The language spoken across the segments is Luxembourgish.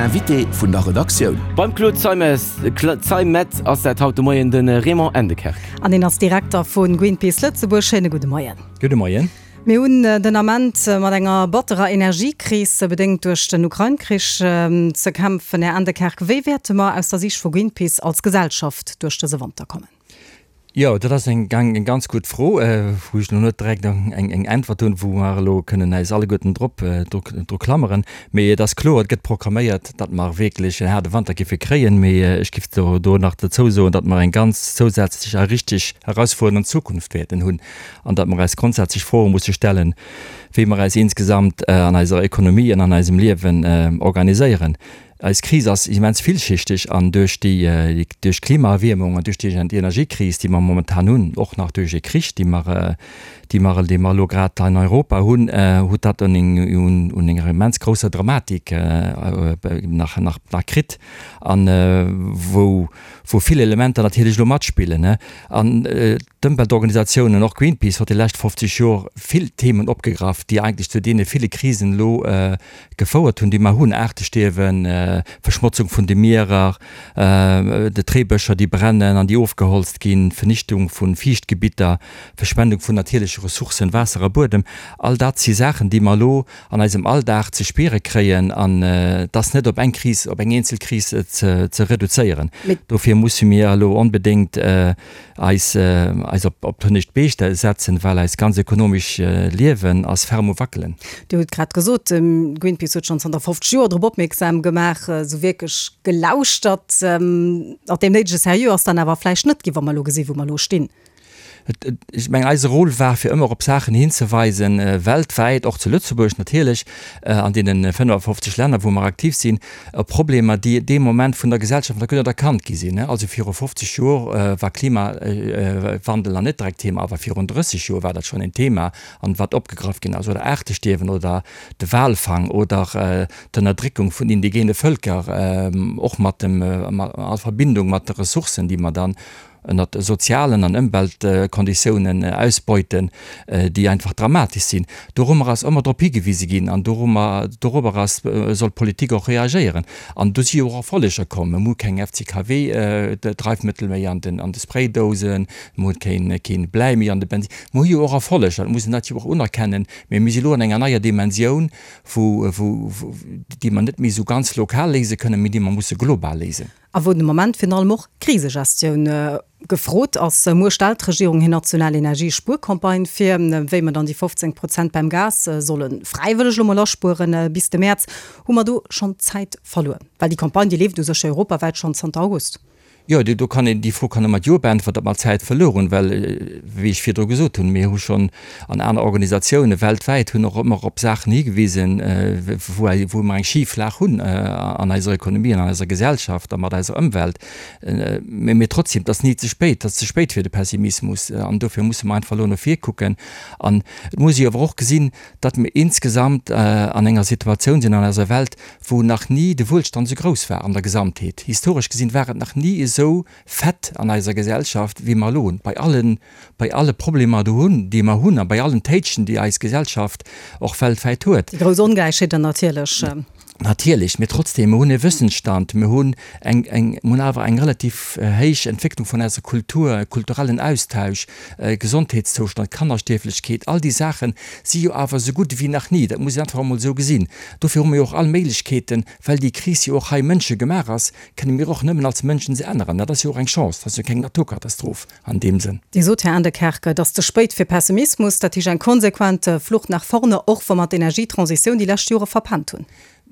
Invité vun der Redaktioun. Beim Claude Zeimetz ass dat haut de Moien de Raymond Endekerk. An hien ass Direkter vu Greenpeace Lëtzebuerg. Schéine gudde Moien. Gudde Moien. Mir hunn den Ament mat enger batterer Energiekris, bedéngt duerch den Ukrain-Krich, ze kämpfen. Här Endekerk, wéi wäerte mer aus der Siicht vu Greenpeace als Gesellschaft duerch dëse Wanter kommen? Jo, dat ass eng ganz gutt Fro, wou ech elo net direkt eng Äntwert hunn, wou mer elo kënnen äis alleguerten drop dru klammeren. Mee et ass kloer, et gëtt programméiert, datt mer wierklech en haarde Wanter géife kréien. Mee ech géif do nach dozou soen, datt mer eng ganz zousätzlech a richteg herausfuerdernd Zukunft wäerten hunn an datt mer eis grondsätzlech Froe musse stellen, wéi mer eis insgesamt an eiser Ekonomie an an eisem Liewen organiséieren. Eis Kris ass immens villschichteg an duerch déi, duerch d'Klimaerwiermung an duerch déi Energiekris, déi mer momentan hunn, och nach duerch ee Krich, dee mer, dee mer, dee mer elo grad an Europa hunn, huet dat un eng, un enger immens grousser Dramatik nach, nach, nach kritt an wou, wou vill Elementer natierlech elo matspillen. An d'Ëmweltorganisatiounen, och Greenpeace huet déi lescht 50 Jor vill Themen opgegraff, déi eigentlech zu deene ville Krisen elo gefouert hunn, déi mer hunn, Aartestierwen, Verschmotzung vun de Mierer, de Treebëscher, déi brennen an déi ofgeholzt ginn, Vernichtung vu Fiichtgebitter, Verschwendung vun natierleche Ressourcen, Waasser a Buedem. All dat si Saachen, déi mer elo an eisem Alldag ze spiere kréien an et ass net op eng Kris, op eng eenzel Kris ze reduzéieren. Dofir musse mir elo onbedéngt eis eis op op d'hënnescht Bee setzen, well eist ganz ekonomesch Liewen ass ferm um Wackelen. Dir hutt grad gesot, Greenpeace huet schonn zanter 50 Joer drop opmierksam gemaach. Esou wierklech gelauschtert mat deem néidege Sérieux ass dann awer vläicht net ginn, wa mer elo gesinn, wou mer elo stinn. Ech mengen, eise Rôle war fir ëmmer op Saachen hinzeweisen, weltwäit, och zu Lëtzebuerg natierlech, an deene 55 Länner, wou mer aktiv sinn, op Problemer, déi dee Moment vun der Gesellschaft nach guer net erkannt gi sinn. Also viru 50 Joer war Klimawandel nach net direkt Thema, awer virun 30 Joer war dat schonn en Thema an wat opgegraff ginn ass, oder Aartestierwen oder de Walfang oder d'Ënnerdréckung vun indigene Vëlker, och mat dem, a Verbindung mat de Ressourcen, déi mer dann ënnert sozialen an Ëmweltkonditiounen ausbeuten, déi einfach dramatesch sinn. Dorummer ass ëmmer drop higewise ginn an dorummer, dorobber ass, soll d'Politik och reagéieren. An do si jo och Erfolleger komm. Mir hu keng FCKW-Dreifmëttel méi an den, an de Spraydousen, mir hunn keen, keen Bläi méi an de Bensin. Mir hu jo och Erfolleger, dat muss een dat jo och unerkennen. Mee mir si lo an enger neier Dimensioun, wou, wou, déi mer net méi esou ganz lokal léise kënnen, mee déi mer musse global léisen. A wou de Moment virun allem och Krisegestioun gefrot ass. Muer stellt d'Regierung hir national Energiespuercampagne vir. Wéi mer dann déi 15 Prozent beim Gas solle fräiwëlleg elo mol aspueren bis de Mäerz, hu mer do schonn Zäit verluer? Well déi Campagne, déi leeft u sech europawäit schonn zanter August. Jo, do kann een, déi Fro kann e mat Jo beäntwert, ob mer Zäit verluer hunn, well, wéi ech virdru gesot hunn, mir hu schonn an aner Organisatioune weltwäit hunn och ëmmer op Saachen higewisen, wou wou mer eng Schiflag hunn an eiser Ekonomie an an eiser Gesellschaft a mat eiser Ëmwelt. Mee mee trotzdem, et ass ni ze spéit, et ass ze spéit fir de Pessimismus an dofir musse mer einfach elo no vir kucken. An et muss ee awer och gesinn, datt mir insgesamt an enger Situatioun sinn an eiser Welt, wou nach ni de Wuelstand esou grouss war an der Gesamtheet. Historesch gesinn war et nach ni esou fett an eiser Gesellschaft, wéi mer elo hunn, bei allen bei alle Problemer do hunn, déi mer hunn a bei allen Téitschen, déi eis Gesellschaft och weltwäit huet. Déi grouss Ongläichheeten natierlech. Natierlech, mee trotzdem, mer hunn e Wëssensstand, mer hunn eng, eng, mer hunn awer eng relativ héich Entwécklung vun eiser Kultur, kulturellen Austausch, Gesondheetszoustand, Kannerstierflechkeet, all déi Saache si jo awer esou gutt ewéi nach ni. Dat muss een einfach emol esou gesinn. Dofir hu mer jo och all Méiglechkeeten, well déi Kris jo och hei mënschegemaach ass, kënne mir och nëmmen als Mënschen se änneren. Dat ass jo och eng Chance, dat ass jo keng Naturkatastroph. An deem Sënn. Dir sot, Här Aendekerk, et ass ze spéit fir Pessimismus, dat heescht eng konsequent Flucht nach vorne, och wa mer d'Energietransitioun déi lescht Jore verpennt hunn.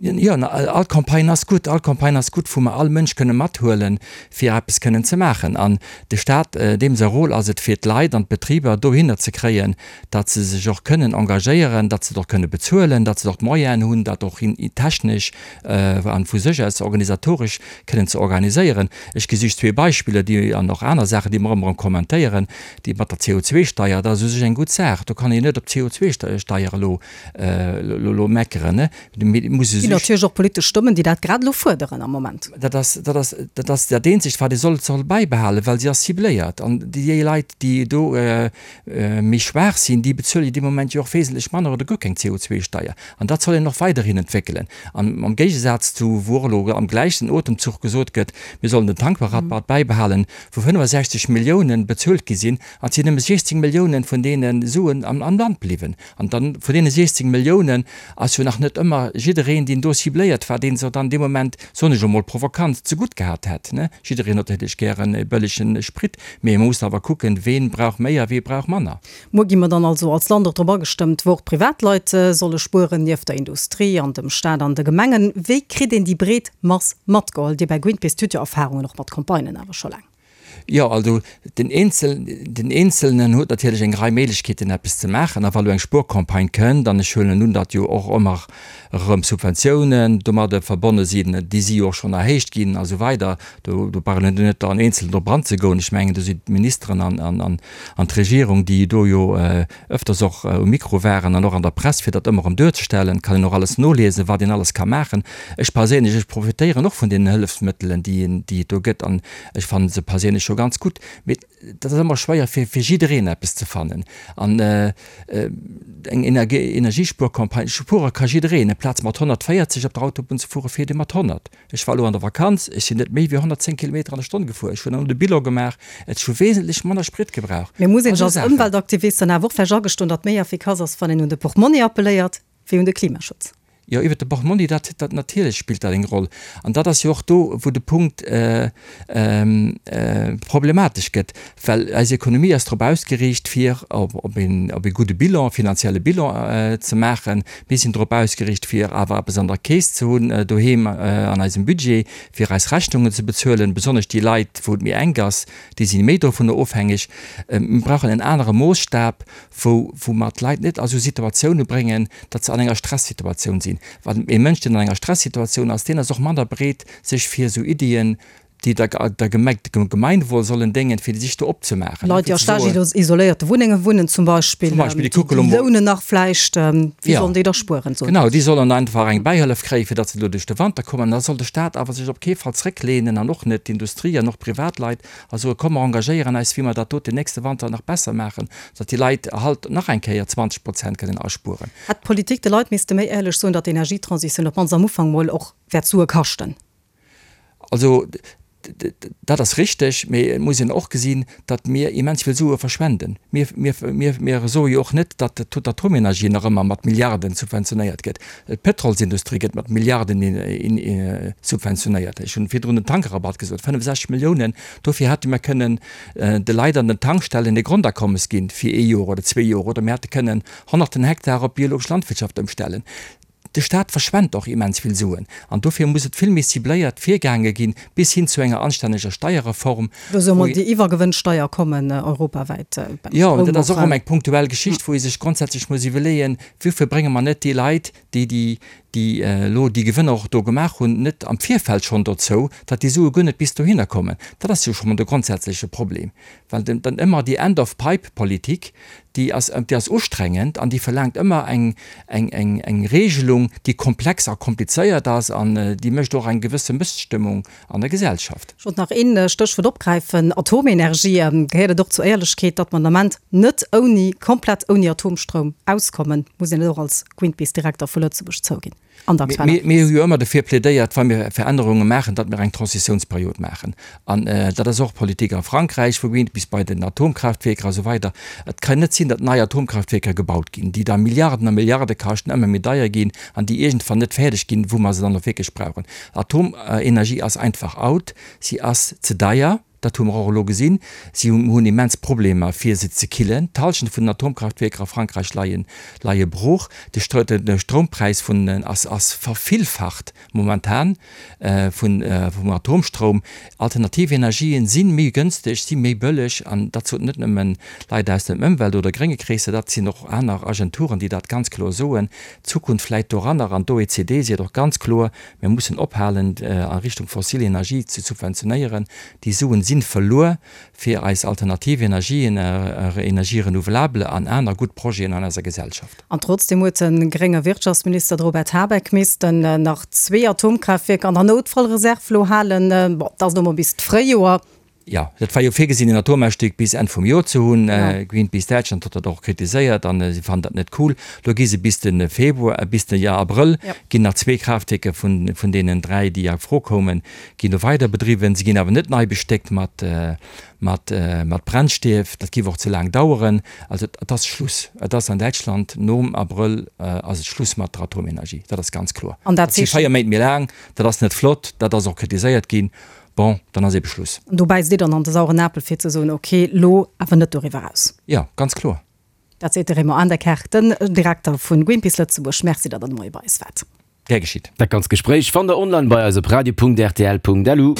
Jo, all Campagne ass gutt. All Campagne ass gutt, wou mer all Mënsch kënne mathuelen, fir eppes kënnen ze maachen. An de Stat, deem säi Rôle ass et, fir d'Leit an d'Betriber dohinner ze kréien, datt se sech och kënnen engagéieren, datt se et och kënne bezuelen, datt se och d'Moyenen hunn, dat och technesch an vu sech aus organisatoresch kënnen ze organiséieren. Ech gi just zwee Beispiller, déi, an och aner Saachen, déi mer ëmmer erëm kommentéieren, déi mat der CO2-Steier, dat ass u sech eng gutt Saach. Do kann een net op d'CO2-Steier elo, elo meckeren, ne? Mee et muss e. Ginn natierlech och politesch Stëmmen, déi dat grad elo fuerderen am Moment. Dat ass, dat ass, dat ass dat eenzegt, wat ee soll, soll bäibehalen, well se ass cibléiert. An déi Leit, déi do méi schwaach sinn, déi bezuele jo dee Moment jo och wesentlech manner oder guer keng CO2-Steier. An dat soll een och weiderhin entwéckelen. An am Géigesaz zu, wou och elo am gläichen Otemzuch gesot gëtt, mir sollen den Tankrabatt bäibehalen, wou 65 Milliounen bezuelt gi sinn, an et sinn nëmme 16 Milliounen vun deene Suen am Land bliwwen. An dann, vun deene 16 Milliounen ass jo nach net ëmmer jiddereen, deen do cibléiert war, dee se dann dee Moment, soen ech emol provokant, zegutt gehat hätt. Jiddereen huet natierlech gären e bëllege Sprit, mee ee muss awer kucken, ween brauch méi a wee brauch manner. Muer gi mer dann also als Land och drop agestëmmt, wou och d'Privatleit solle spueren, nieft der Industrie an dem Staat an de Gemengen. Wéi kritt een déi breet Mass matgeholl? Dir bei Greenpeace hutt jo Erfahrungen och mat Campagnen awer scho laang. Jo, also den Eenzel, den Eenzelnen huet natierlech eng Rei Méiglechkeeten eppes ze maachen. A wa lo eng Spuercampagne kënnt, an ech huelen un, datt jo och ëmmer erëm Subventiounen domadde verbonne sinn, déi si jo och schonn erhéicht ginn a sou weider, do do brauch een net an Eenzelnen drop anzegoen. Ech mengen, do sinn d'Ministeren an an an an d'Regierung, déi do jo ëfters och um Mikro waren an och an der Press, fir dat ëmmer erëm duerzestellen, kann een och alles noliesen, wat een alles ka maachen. Ech perséinlech, ech profitéieren och vun deenen Hëllefsmëttelen, déi een, déi et do gëtt an ech fanne se perséinlech scho ganz gutt. Mee dat ass ëmmer schwéier, fir fir jiddereen eppes ze fannen. An eng Energiespuercampagne, spuere ka jiddereen. Amplaz mat 140 op der Autobunn ze fuere, fiert ee mat 100. Ech war elo an der Vakanz, ech sinn net méi wéi 110 Kilometer an der Stonn gefuer. Ech hunn elo de Bilan gemaach, ech hu wesentlech manner Sprit gebraucht. Mee muss een sech als Ëmweltaktivist dann awer och vläicht agestoen, datt méi effikass ass, wann een un de Portmonni appelléiert, wéi un de Klimaschutz? Jo, iwwert de Portmonni, dat, dat natierlech spillt dat eng Roll. An dat ass jo och do, wou de Punkt problematesch gëtt, well eis Ekonomie ass drop ausgeriicht, fir op, op een, op ee gudde Bilan, finanzielle Bilan ze maachen. Mir sinn drop ausgeriicht, fir awer eppes an der Keess ze hunn doheem an eisem Budget, fir eis Rechnungen ze bezuelen. Besonnesch déi Leit, wou et méi enk ass, déi si méi dovunner ofhängeg. Mir brauchen en anere Moosstab, wou, wou mer d'Leit net a sou Situatioune bréngen, datt se an enger Stressituatioun sinn. Well ee Mënsch, deen an enger Stressituatioun ass, deen ass och manner bereet, sech fir esou Iddien, déi der der Gemeng, dem Gemeinwohl sollen déngen, fir déi sech do opzemaachen. Leit, déi a staark isoléierte Wunnenge wunnen zum Beispill, Zum Beispill, déi kucke lo mol. Déi lounen nach vläicht, wéi sollen déi da spueren? Soen Genau, déi sollen einfach eng Bäihëllef kréien, fir datt se do duerch de Wanter kommen. An da soll de Staat awer sech op kee Fall zrécklehnen an och net d'Industrie an och d'Privatleit a soe komm mer engagéieren eis, wéi mer dat doten nächste Wanter nach besser maachen, datt déi Leit halt nach eng Kéier 20 Prozent kënnen aspueren. Hätt d'Politik de Leit misste méi éierlech soen, datt d'Energietransitioun op d'mannst am Ufank mol och wäert Sue kaschten? Also dat ass richteg, mee et muss een och gesinn, datt mir immens vill Sue verschwenden. Mir, mir, mir, mir soe jo och net, datt d'Atomenergie nach ëmmer mat Milliarden subventionéiert gëtt. D'Pétrolsindustrie gëtt mat Milliarden subventionéiert. Ech hunn virdrun den Tankrabatt gesot, 65 Milliounen. Dofir hätte mir kënnen de Leit an den Tankstellen e Grondakommes ginn fir ee Joer oder zwee Joer oder mir hätte kënnen honnerten Hektar op biologesch Landwirtschaft ëmstellen. De Staat verschwent och immens vill Suen an dofir muss et vill méi cibléiert virgaange ginn, bis hin zu enger anstänneger Steierreform. Do soll mol déi Iwwergewënnsteier kommen europawäit beim Jo, Stroum dat ass och erëm eng punktuell Geschicht, wou ee sech grondsätzlech muss iwwerleeën, Wofir brénge mer net déi Leit, déi déi déi elo déi Gewënner och do gemaach hunn, net am Virfeld schonn dozou, datt déi Sue guer net bis dohinner kommen? Dat ass jo scho mol de grondsätzleche Problem, well dann ëmmer déi End-of-pipe-Politik, déi ass, déi ass ustrengend an déi verlaangt ëmmer eng, eng, eng, eng Regelung, déi komplex a komplizéiert ass an déi mécht och eng gewësse Mësstëmmung an der Gesellschaft. Ech wollt nach een Stéchwuert opgräifen, Atomenergie. Gehéiert et och zur Éierlechkeet, datt mer den Ament net ouni, komplett ouni Atomstroum auskommen? Muss een et och als Greenpeace-Direkter vu Lëtzebuerg zouginn? an der aktueller Kris. Mir hu jo ëmmer dofir plädéiert, wa mir Verännerunge maachen, datt mir eng Transitiounsperiod maachen. An dat ass och d'Politik a Frankräich vu Greenpeace bei den Atomkraaftwierker a sou weider. Et kann net sinn, datt nei Atomkraaftwierker gebaut ginn, déi da Milliarden a Milliarde kaschten, ëmmer méi deier ginn an déi iergendwann net fäerdeg ginn, wou mer se dann och wierklech brauchen. Atomenergie ass einfach out, si ass ze deier. Dat hu mer och elo gesinn. Si hunn immens Problemer, fir se ze killen. D'Hallschent vun den Atomkraftwierker a Frankräich leie leie brooch. De Stroumpräis vun ass ass vervillfacht momentan vun vum Atomstroum. Alternativ Energien si méi gënsteg, si méi bëlleg. An dat soten net nëmmen Leit aus dem Ëmwelt oder grénge Kreesser, dat sinn och aner Agenturen, déi dat ganz kloer soen. D'Zukunft läit doranner. An d'OECD seet och ganz kloer, Mir mussen ophalen, a Richtung fossil Energie ze subventionéieren. Déi Suen sinn. sinn verluer fir eis alternativ Energien, Energies renouvelables an aner gutt Projeten an eiser Gesellschaft. An trotzdeem huet de grénge Wirtschaftsminister, de Robert Habeck, missten nach zwee Atomkraaftwierker an der Noutfallreserv lo halen. Bon, dat ass elo mol bis d'Fréijoer. Jo, dat war jo virgesinn, en Atomausstieg bis Enn vum Joer ze hunn. Greenpeace Däitschland huet dat och kritiséiert an si fannen dat net cool. Lo gi se bis de Februar, bis de Abrëll ginn nach zwee Kraaftwierker vun deenen dräi, déi a Fro koumen, ginn do weider bedriwwen. Se ginn awer net nei bestéckt mat, mat, mat Brennstief. Dat géif och ze laang daueren. Also et ass Schluss. Et ass an Däitschland nom Abrëll ass et Schluss mat der Atomenergie. Dat ass ganz kloer. An dat si 4 Méint méi laang. Dat ass net flott. Dat ass och kritiséiert ginn. Bon, dann ass ebe Schluss. An do bäisst Dir dann an de sauren Apel fir ze soen, ok, lo awer net doriwwer eraus. Jo, ganz kloer. Dat seet de Raymond Aendekerk, den Direkter vu Greenpeace Lëtzebuerg. Merci, datt Der de Moie bei eis waart. Gär geschitt. Dat ganz Gespréich fannt der online bei eis op radio.rtl.lu.